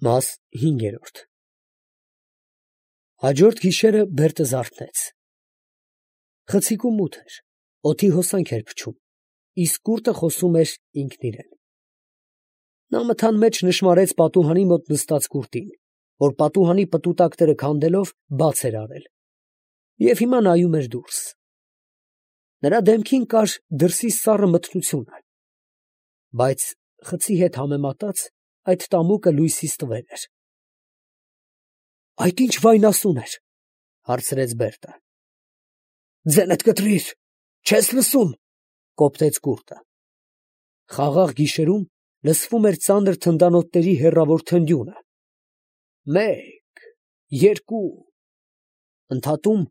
Մաս 5։ Հաջորդ գիշերը Բերտը զարթնեց։ Խցիկը մութ էր, օդի հոսանք էր փչում, իսկ կուրտը խոսում էր ինքն իրան։ Նա մթան մեջ նշմարեց պատուհանի մոտ նստած կուրտին, որ պատուհանի պտուտակները քանդելով բաց էր արել, և հիմա նայում էր դուրս։ Նրա դեմքին կար դրսի սառը մթնությունը, բայց խցի հետ համեմատած այդ տամուկը լույսից տվեր էր։ ֊ Այդ ի՞նչ վայնասուն էր, ֊ հարցրեց Բերտը։ ֊ Ձենդ կտրիր, չես լսում, ֊ կոպտեց կուրտը։ Խաղաղ գիշերում լսվում էր ծանր թնդանոթների հեռավոր թնդյունը. մեկ, երկու, ընդհատում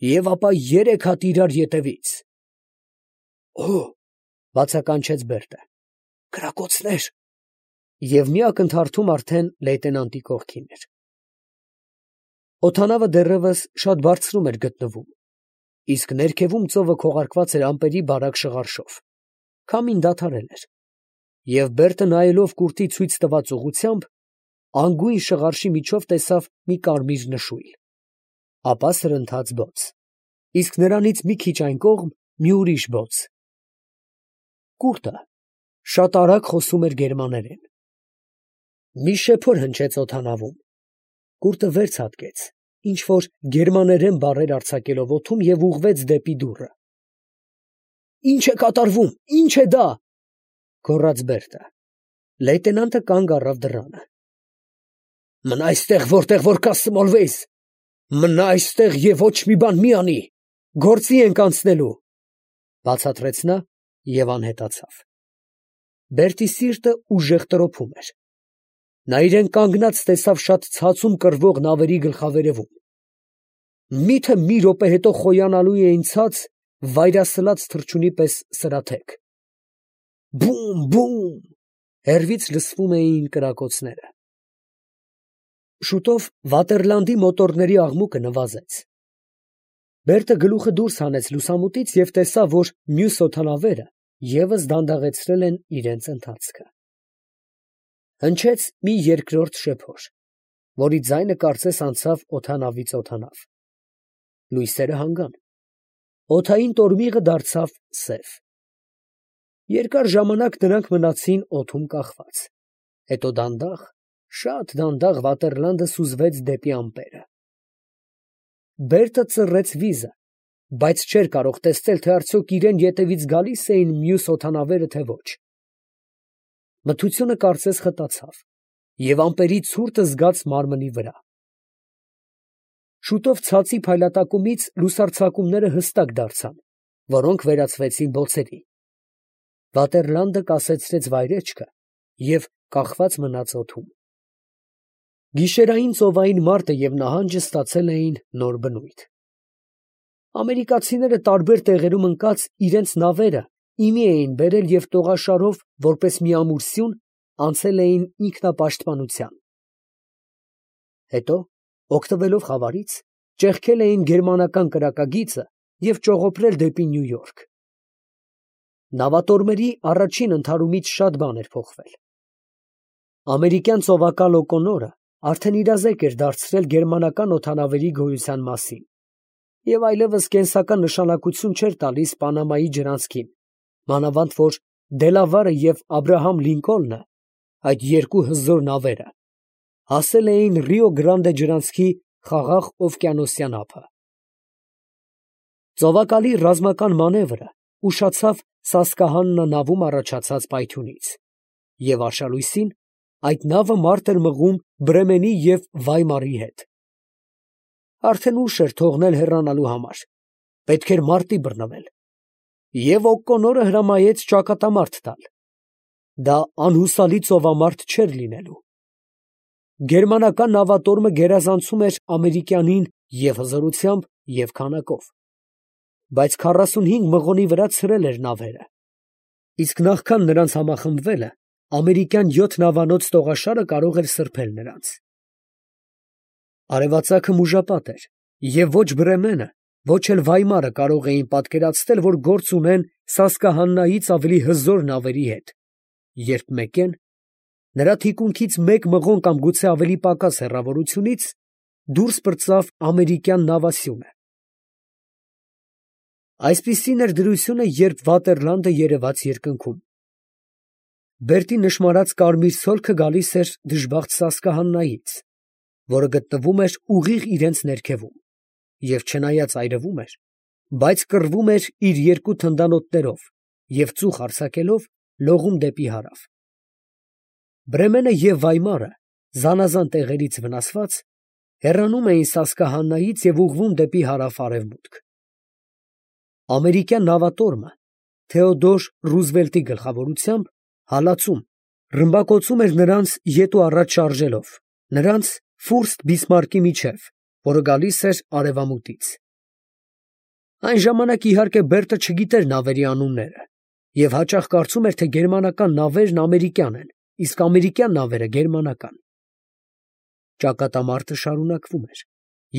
և ապա երեք հատ իրար ետևից։ Օ՜, բացականչեց Բերտը, կրակոցներ… Եվ մի ակնթարթում արդեն լեյտենանտի կողքին էր։ Օդանավը դեռևս շատ բարձրում էր գտնվում, իսկ ներքևում ծովը քողարկված էր ամպերի բարակ շղարշով, քամին դադարել էր, և Բերտը նայելով կուրտի ցույց տված ուղղությամբ, անգույն շղարշի միջով տեսավ մի կարմիր նշույլ, ապա սրընթաց բոց, իսկ նրանից մի քիչ այն կողմ մի ուրիշ բոց։ Կուրտը շատ արագ խոսում էր գերմաներեն։ Մի շեփոր հնչեց օդանավում։ Կուրտը վեր ցատկեց, ինչ֊որ գերմաներեն բառեր արձակելով օդում և ուղղվեց դեպի դուռը։ Ի՞նչ է կատարվում, ի՞նչ է դա, ֊ գոռաց Բերտը։ Լեյտենանտը կանգ առավ դռանը։ Մնա այստեղ, որտեղ որ կասմոլվես, մնա այստեղ և ոչ մի բան մի անի, գործի ենք անցնելու, ֊ բացատրեց նա և անհետացավ։ Բերտի սիրտը ուժեղ տրոփում էր։ Նա իրան կանգնած տեսավ շատ ցածում կռվող նավերի գլխավերևում։ Մի՞թե մի րոպե հետո խոյանալու էին ցած, վայրասլաց թռչունի պես սրաթեք։ Բում, բում… Հեռվից լսվում էին կրակոցները։ Շուտով Վատերլանդի մոտորների աղմուկը նվազեց։ Բերտը գլուխը դուրս հանեց լուսամուտից և տեսավ, որ մյուս օդանավերը ևս դանդաղեցրել են իրենց ընթացքը։ Հնչեց մի երկրորդ շեփոր, որի ձայնը կարծես անցավ օդանավից օդանավ։ Լույսերը հանգան։ Օդային տորմիղը դարձավ սև։ Երկար ժամանակ նրանք մնացին օդում կախված, հետո դանդաղ, շատ դանդաղ Վատերլանդը սուզվեց դեպի ամպերը։ Բերտը ծռեց վիզը, բայց չէր կարող տեսնել, թե արդյոք իրան ետևից գալի՞ս էին մյուս օդանավերը, թե ոչ։ Մթությունը կարծես խտացավ, և ամպերի ցուրտը զգաց մարմնի վրա։ Շուտով ցածի փայլատակումից լուսարձակումները հստակ դարձան, որոնք վերածվեցին բոցերի։ Վատերլանդը կասեցրեց վայրէջքը և կախված մնաց օդում։ Գիշերային ծովային մարտը և նահանջը ստացել էին նոր բնույթ։ Ամերիկացիները տարբեր տեղերում ընկած իրենց նավերը իմի էին բերել և տողաշարով, որպես մի ամուր սյուն, անցել էին ինքնապաշտպանության։ Հետո, օգտվելով խավարից, ճեղքել էին գերմանական կրակագիծը և ճողոպրել դեպի Նյու Յորք։ Նավատորմերի առաջին ընդհարումից շատ բան էր փոխվել։ Ամերիկյան ծովակալ Օկոնորը արդեն իրազեկ էր դարձրել գերմանական օդանավերի գոյության մասին և այլևս կենսական նշանակություն չէր տալիս Պանամայի ջրանցքին, մանավանդ որ Դելավարը և Աբրահամ Լինկոլնը, այդ երկու հզոր նավերը, հասել էին Ռիո Գրանդե ջրանցքի խաղաղ օվկիանոսյան ափը։ Ծովակալի ռազմական մանևրը ուշացավ Սասկահաննա նավում առաջացած պայթյունից, և արշալույսին այդ նավը մարտ էր մղում Բրեմենի և Վայմարի հետ։ Արդեն ուշ էր թողնել հեռանալու համար, պետք էր մարտի բռնվել, և Օկոնորը հրամայեց ճակատամարտ տալ։ Դա անհուսալի ծովամարտ չէր լինելու։ Գերմանական նավատորմը գերազանցում էր ամերիկյանին և հզորությամբ, և քանակով, բայց 45 մղոնի վրա ցրել էր նավերը, իսկ նախքան նրանց համախմբվելը ամերիկյան 7 նավանոց տողաշարը կարող էր սրբել նրանց։ Արևածագը մուժապատ էր, և ոչ Բրեմենը, ոչ էլ Վայմարը կարող էին պատկերացնել, որ գործ ունեն Սասկահաննայից ավելի հզոր նավերի հետ, երբ մեկեն Նրա թիկունքից մեկ մղոն կամ գուցե ավելի պակաս հեռավորությունից դուրս պրծավ ամերիկյան նավասյունը։ Այսպիսին էր դրությունը, երբ Վատերլանդը երևաց երկնքում։ Բերտի նշմարած կարմիր ցոլքը գալիս էր դժբախտ Սասկահաննայից, որը գտնվում էր ուղիղ իրենց ներքևում, և չնայած այրվում էր, բայց կռվում էր իր երկու թնդանոթներով և ծուխ արձակելով լողում դեպի հարավ։ Բրեմենը և Վայմարը, զանազան տեղերից վնասված, հեռանում էին Սասկահաննայից և ուղղվում դեպի հարավ֊արևմուտք։ Ամերիկյան նավատորմը Թեոդոր Ռուզվելտի գլխավորությամբ հալածում, ռմբակոծում էր նրանց ետ ու առաջ շարժելով, նրանց Ֆուրստ Բիսմարկի միջև, որը գալիս էր արևամուտից։ Այն ժամանակ, իհարկե, Բերտը չգիտեր նավերի անունները և հաճախ կարծում էր, թե գերմանական նավերն ամերիկյան են, իսկ ամերիկյան նավերը գերմանական։ Ճակատամարտը շարունակվում էր,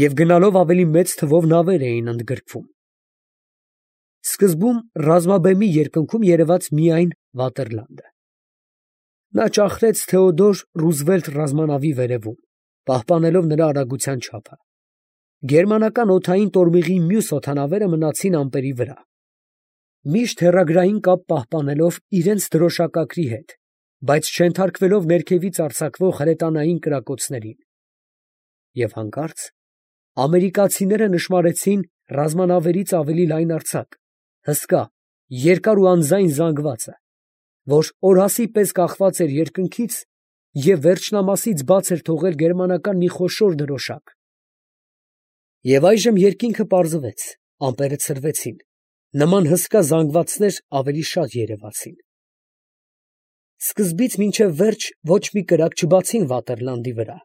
և գնալով ավելի մեծ թվով նավեր էին ընդգրկվում։ Սկզբում ռազմաբեմի երկնքում երևաց միայն Վատերլանդը։ Նա ճախրեց Թեոդոր Ռուզվելտ ռազմանավի վերևում, պահպանելով նրա արագության չափը։ Գերմանական օդային տորմիղի մյուս օդանավերը մնացին ամպերի վրա, միշտ հեռագրային կապ պահպանելով իրենց դրոշակակրի հետ, բայց չենթարկվելով ներքևից արձակվող հրետանային կրակոցներին։ Եվ հանկարծ ամերիկացիները նշմարեցին ռազմանավերից ավելի լայնարձակ, հսկա, երկար ու անձայն զանգվածը, որ օրհասի պես կախված էր երկնքից և վերջնամասից բաց էր թողել գերմանական մի խոշոր դրոշակ։ Եվ այժմ երկինքը պարզվեց, ամպերը ցրվեցին, նման հսկա զանգվածներ ավելի շատ երևացին։ Սկզբից մինչև վերջ ոչ մի կրակ չբացին Վատերլանդի վրա,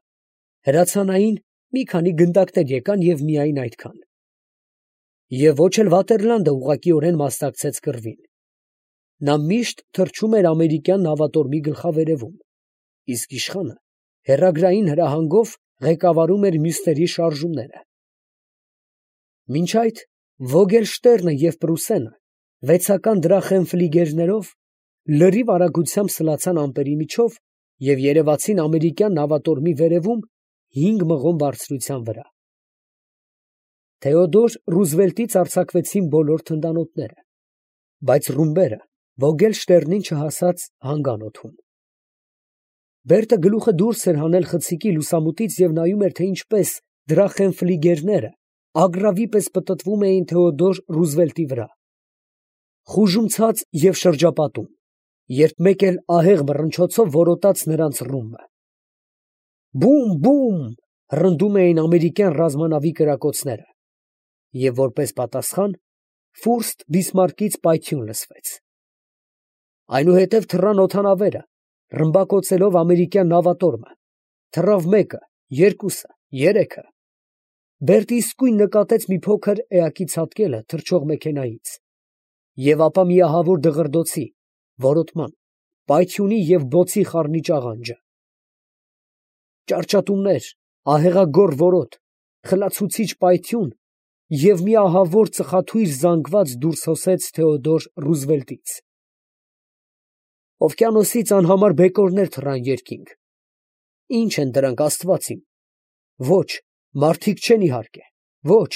հրացանային մի քանի գնդակներ եկան և միայն այդքան։ Եվ ոչ էլ Վատերլանդը ուղղակիորեն մասնակցեց կռվին։ Նա միշտ թռչում էր ամերիկյան նավատորմի գլխավերևում, իսկ իշխանը հեռագրային հրահանգով ղեկավարում էր մյուսների շարժումները։ Մինչ այդ Վոգելշտերնը և Պրուսենը վեցական դրախենֆլիգերներով լրիվ արագությամբ սլացան ամպերի միջով և երևացին ամերիկյան նավատորմի վերևում 5 մղոն բարձրության վրա։ Թեոդոր Ռուզվելտից արձակվեցին բոլոր թնդանոթները, բայց ռումբերը Վոգելշտերնին չհասած հանգան օդում։ Բերտը գլուխը դուրս էր հանել խցիկի լուսամուտից և նայում էր, թե ինչպես դրախենֆլիգերները ագռավի պես պտտվում էին Թեոդոր Ռուզվելտի վրա, խուժումցած և շրջապատում, երբ մեկ էլ ահեղ մռնչոցով որոտաց նրանց ռումբը։ Բում, բում, հռնդում էին ամերիկյան ռազմանավի կրակոցները, և որպես պատասխան Ֆուրստ Բիսմարկից պայթյուն լսվեց։ Այնուհետև թռան օդանավերը, ռմբակոծելով ամերիկյան նավատորմը, թռավ մեկը, երկուսը, երեքը։ Բերտը իսկույն նկատեց մի փոքր էակի ցատկելը թռչող մեքենայից, և ապա մի ահավոր դղրդոցի, որոտման, պայթյունի և բոցի խառնիչ աղանջը։ Ճարճատումներ, ահեղագոռ որոտ, խլացուցիչ պայթյուն և մի ահավոր ծխաթույր զանգված դուրս հոսեց Թեոդոր Ռուզվելտից։ Օվկիանոսից անհամար բեկորներ թռան երկինք։ Ի՞նչ են դրանք, աստված իմ։ Ոչ, մարդիկ չեն իհարկե, ոչ,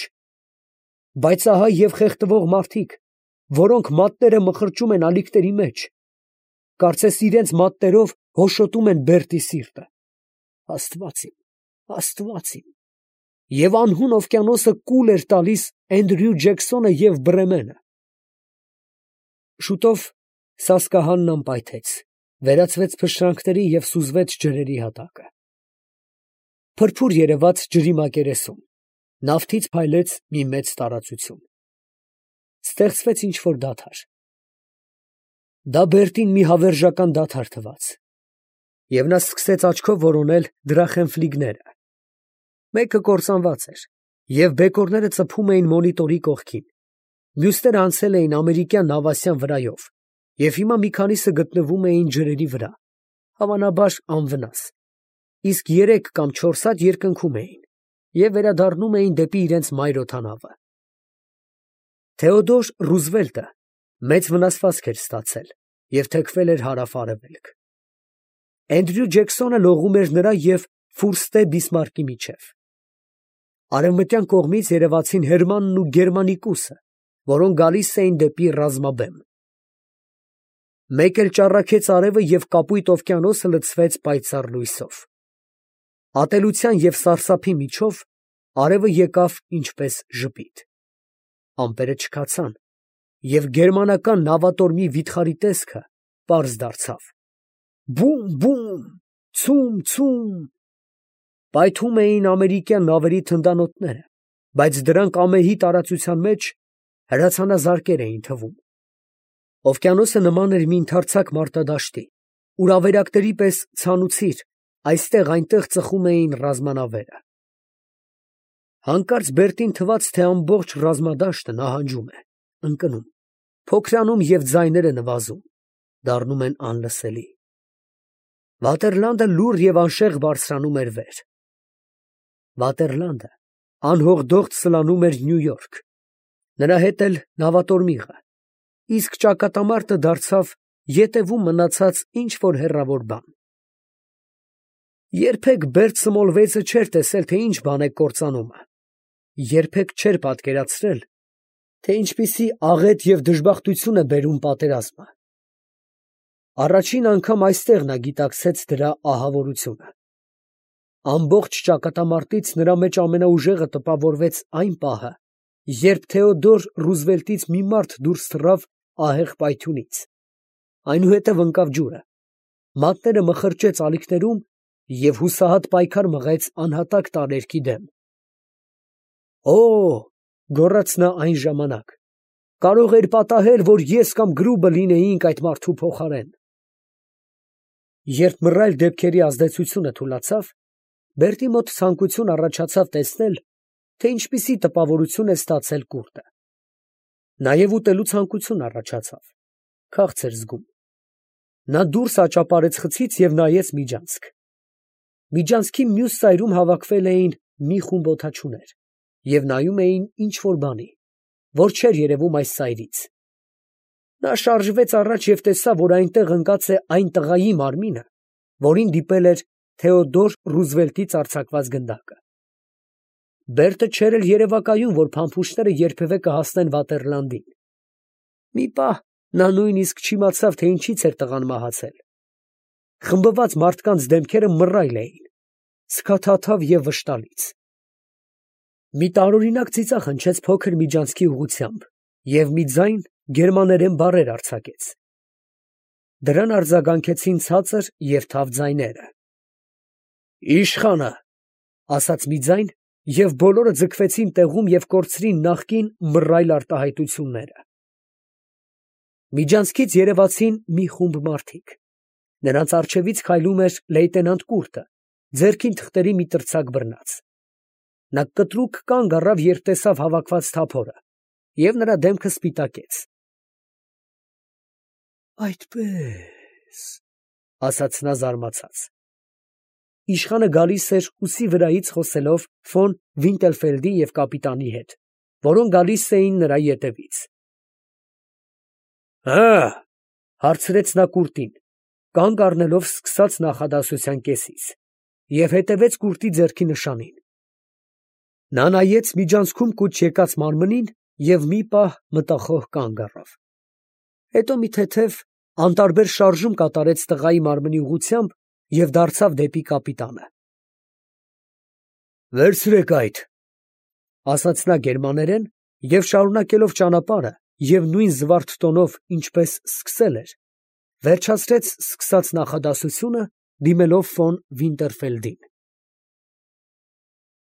բայց ահա և խեղդվող մարդիկ, որոնք մատները մխրճում են ալիքների մեջ, կարծես իրենց մատներով հոշոտում են Բերտի սիրտը։ Աստված իմ, աստված իմ։ Եվ անհուն օվկիանոսը կուլ էր տալիս Էնդրյու Ջեքսոնը և Բրեմենը։ Շուտով Սասկահաննան պայթեց, վերածվեց փշրանքների և սուզվեց ջրերի հատակը։ Փրփուր երևաց ջրի մակերեսում, նավթից փայլեց մի մեծ տարածություն։ Ստեղծվեց ինչ֊որ դադար։ Դա Բերտին մի հավերժական դադար թվաց, և նա սկսեց աչքով որոնել դրախենֆլիգները։ Մեկը կործանված էր, և բեկորները ծփում էին մոնիտորի կողքին, մյուսները անցել էին ամերիկյան նավասյան վրայով, և հիմա մի քանիսը գտնվում էին ջրերի վրա, հավանաբար անվնաս, իսկ 3 կամ 4 հատ երկնքում էին և վերադառնում էին դեպի իրենց մայր օդանավը։ Թեոդոր Ռուզվելտը մեծ վնասվածք էր ստացել և թեքվել էր հարավ֊արևելք։ Էնդրյու Ջեքսոնը լողում էր նրա և Ֆուրստե Բիսմարկի միջև։ Արևմտյան կողմից երևացին Հերմանն ու Գերմանիկուսը, որոնք գալիս էին դեպի ռազմաբեմ։ Մեկ էլ ճառագեց արևը և կապույտ օվկիանոսը լցվեց պայծառ լույսով։ Ատելության և սարսափի միջով արևը եկավ ինչպես ժպիտ։ Ամպերը չքացան, և գերմանական նավատորմի վիթխարի տեսքը պարզ դարձավ։ Բում, բում, ցում, ցում… Պայթում էին ամերիկյան նավերի թնդանոթները, բայց դրանք ամեհի տարածության մեջ հրացանազարկեր էին թվում։ Օվկիանոսը նման էր մի ընդարձակ մարտադաշտի, ուր ավերակների պես ցանուցիր այստեղ֊այնտեղ ծխում էին ռազմանավերը։ Հանկարծ Բերտին թվաց, թե ամբողջ ռազմադաշտը նահանջում է, ընկնում, փոքրանում և ձայները նվազում, դառնում են անլսելի։ Վատերլանդը լուռ և անշեղջ բարձրանում էր վեր։ Վատերլանդը անհողդողդ սլանում էր Նյու Յորք, նրա հետ էլ նավատորմիղը, իսկ ճակատամարտը դարձավ ետևում մնացած ինչ֊որ հեռավոր բան։ Երբեք Բերտ Սմոլվեյցը չէր տեսել, թե ինչ բան է կործանումը, երբեք չէր պատկերացրել, թե ինչպիսի աղետ և դժբախտություն է բերում պատերազմը։ Առաջին անգամ այստեղ նա գիտակցեց դրա ահավորությունը։ Ամբողջ ճակատամարտից նրա մեջ ամենաուժեղը տպավորվեց այն պահը, երբ Թեոդոր Ռուզվելտից մի մարդ դուրս թռավ ահեղ պայթյունից, այնուհետև ընկավ ջուրը, մատները մխրճեց ալիքներում և հուսահատ պայքար մղեց անհատակ տարերքի դեմ։ «Օ՜, գոռաց նա այն ժամանակ, կարող էր պատահել, որ ես կամ Գրուբը լինեինք այդ մարդու փոխարեն»։ Երբ մռայլ դեպքերի ազդեցությունը թուլացավ, Բերտի մոտ ցանկություն առաջացավ տեսնել, թե ինչպիսի տպավորություն է ստացել կուռտը։ Նաև ուտելու ցանկություն առաջացավ, քաղց էր զգում։ Նա դուրս աճապարեց խցից և նայեց միջանցք։ Միջանցքի մյուս ծայրում հավաքվել էին մի խումբ օդաչուներ և նայում էին ինչ֊որ բանի, որ չէր երևում այս ծայրից։ Նա շարժվեց առաջ և տեսավ, որ այնտեղ ընկած է այն տղայի մարմինը, որին դիպել էր Թեոդոր Ռուզվելտից արձակված գնդակը։ Բերտը չէր էլ երևակայում, որ փամփուշտները երբևէ կհասնեն Վատերլանդին։ Մի պահ նա նույնիսկ չիմացավ, թե ինչից էր տղան մահացել։ Խմբված մարդկանց դեմքերը մռայլ էին, սքաթաթավ և վշտալից։ Մի տարօրինակ ծիծաղ հնչեց փոքր միջանցքի ուղղությամբ, և մի ձայն գերմաներեն բառեր արձակեց։ Դրան արձագանքեցին ցածր և թավ ձայները։ «Իշխանը», ասաց մի ձայն, և բոլորը ձգվեցին տեղում և կորցրին նախկին մռայլ արտահայտությունները։ Միջանցքից երևացին մի խումբ մարդիկ։ Նրանց առջևից քայլում էր լեյտենանտ Կուրտը, ձեռքին թղթերի մի տրցակ բռնած։ Նա կտրուկ կանգ առավ, երբ տեսավ հավաքված թափորը, և նրա դեմքը սպիտակեց։ «Այդպե՜ս», ասաց նա զարմացած։ Իշխանը գալիս էր ուսի վրայից խոսելով ֆոն Վինտերֆելդի և կապիտանի հետ, որոնք գալիս էին նրա ետևից։ «Հը՞, հարցրեց նա Կուրտին, կանգ առնելով սկսած նախադասության կեսից, և հետևեց Կուրտի ձեռքի նշանին։ Նա նայեց միջանցքում կուչ եկած մարմնին և մի պահ մտախոհ կանգ առավ։ Հետո մի թեթև, անտարբեր շարժում կատարեց տղայի մարմնի ուղղությամբ և դարձավ դեպի կապիտանը։ «Վերցրեք այդ», ասաց նա գերմաներեն և շարունակելով ճանապարհը և նույն զվարթ տոնով, ինչպես սկսել էր, վերջացրեց սկսած նախադասությունը, դիմելով ֆոն Վինտերֆելդին։